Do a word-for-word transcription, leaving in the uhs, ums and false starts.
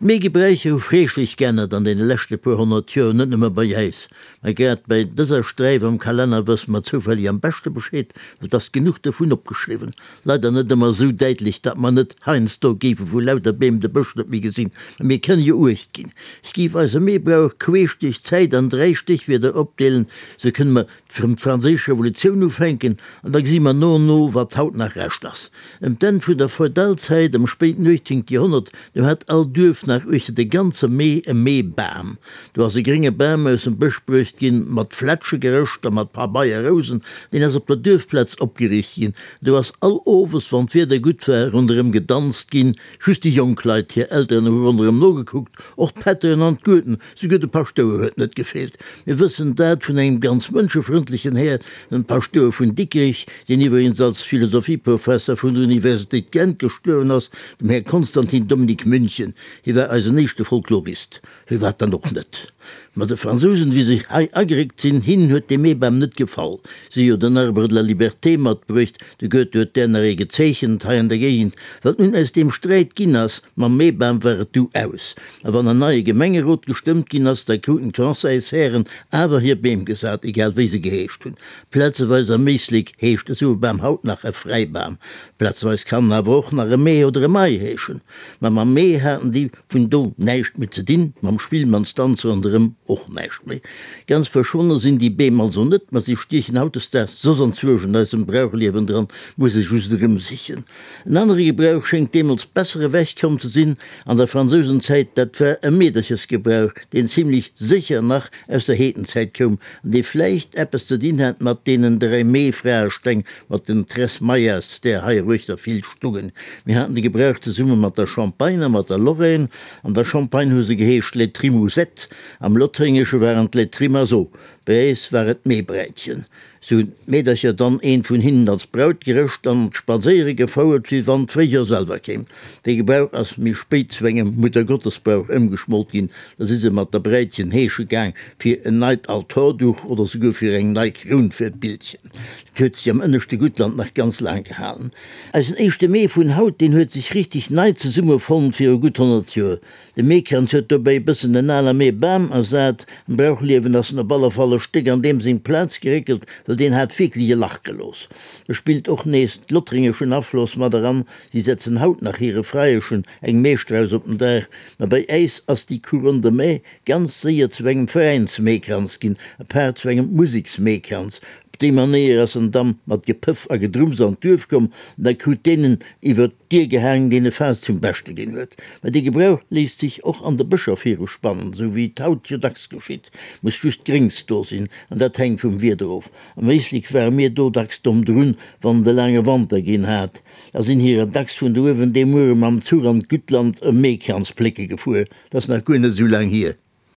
D'Meegebräicher hu freeschlech geännert an deene leschte puer honnert Joer, net nëmme bei äis. Mä grad bei dëser Sträif am Kalenner wësse mer zoufälleg am beschte Bescheed, well 't ass genuch dovun opgeschriwwen. Leider net ëmmer esou däitlech, datt mer net heiansdo géife vu lauter Beem de Bësch net méi gesinn. Mä mir kënne jo Uecht ginn. Ech géif eise Meebrauch queesch duerch d'Zäit an dräi Stéchwierder opdeelen, sou kënne mer vum d'Franséisch Revolutioun ufänken, an da gesi mer no an no, wat haut nach Rescht ass. Ëm d'Enn vun der Feudalzäit, am spéiten uechtzéngte Joerhonnert, do hat all Duerf nach uechter de ganze Mee e Meebam. Do ass e grénge Bam aus dem Bësch bruecht ginn, mat Flätsche gerëscht a mat Pabeierrousen. Deen ass op der Duerfplaz opgeriicht ginn. Do ass all Owes, wann d'Wieder gutt war, ronderëm gedanzt ginn. Just déi jonk Leit, hir Elteren hu ronderëm nogekuckt, och d'Pätteren an d'Gueden, souguer de Paschtouer huet net gefeelt. Mir wëssen dat vun engem ganz mënschefrëndlechen Här, dem Paschtouer vun Dikrich, deen iwwregens als Philosophieprofesser vun der Universitéit Gent gestuerwen ass, dem Här Constantin Dominique München. Hie war eisen éischte Folklorist. Hie war dann och net. Ma de Fransousen, wéi se hei ageréckt sinn, hinnen huet dee Meebam net gefall. Si hu jo den Arbre de la liberté matbruecht, de Goethe huet där nach ee gezeechent hei an der Géigend. Wat nun aus deem Sträit ginn ass mam Meebam, war et du aus. A wann en neie Gemengerot gestëmmt ginn ass, da kruten d'Conseilshären awer hir Beem gesat, egal wéi se geheescht hunn. Plazeweis am Éislek heescht esou e Bam haut nach e Fräibam. Plazeweis kann en awer och nach e Mee oder e Mai heeschen. Ma mam Mee haten déi vun do näischt méi ze dinn, mam Spillmannsdanz ronderëm och näischt méi. Ganz verschwonne sinn déi Beem also net, ma si stiechen hautdesdaags soss anzwousch an eisem Brauchliewen dran, muss ee just erëmsichen. En anere Gebrauch schéngt deemools besser ewech komm ze sinn an der Fransousenzäit, dat war e Meederchesgebrauch, deen zimlech sécher nach aus der Heedenzäit koum an dee vläicht eppes ze dinn hat mat deenen dräi Meefraesteng, mat den Tres Maias, där heiruechter vill stungen. Mir haten de Gebrauch zesumme mat der Champagne a mat der Lorraine. An der Champagne hu se geheescht les Trimousettes, am Lothréngesche waren et les Trimaseaux. Bei äis war et d'Meebräitchen. Sou hunn d'Meedercher dann eent vun hinnen als Braut gerëscht an spadséiere gefouert, wéi wann d'Fréijoer selwer kéim. Dee Gebrauch ass méi spéit zu engem Muttergottesbrauch ëmgeschmolt ginn. Da si se mat der Bräitchen heesche gaang fir en neit Altorduch oder souguer fir eng nei Kroun fir d'Bildchen. Dat huet sech am ënneschte Guttland nach ganz laang gehalen. Eisen éischte Mee vun haut, deen huet sech richteg nei zesummefonnt viru gutt honnert Joer. De Meekranz huet dobäi e bëssen den ale Meebam ersat. Am Brauchliewen ass en op alle Fall e Stéck an deem seng Plaz geréckelt, well deen hat wierklech e Lach gelooss. Do spillt och nees d'lothréngeschen Afloss mat eran, si setzen haut nach hire Freieschen eng Meestrauss op den Daach. Ma bei äis ass déi Couronne de mai ganz séier zu engem Veräinsmeekranz ginn, apaart zu engem Museksmeekranz. Op déi Manéier ass en da mat Gepëff a Gedrumms an d'Duerf komm an da krut deen en iwwer d'Dier gehaang, deen e Faass zum Beschte ginn huet. Mä dee Gebrauch léisst sech och an de Bëscher viruspannen, sou wéi et haut jo dacks geschitt. Muss just Gréngs do sinn, an dat hänkt vum Wieder of. Am Éislek ware mir do dacks domm drun, wann et e laange Wanter ginn hat. Da sinn hirer dacks vun do uewen dee Muere mam Zuch an d'Guttland e Meekranz plécke gefuer. Dat ass nach guer net esou laang hier.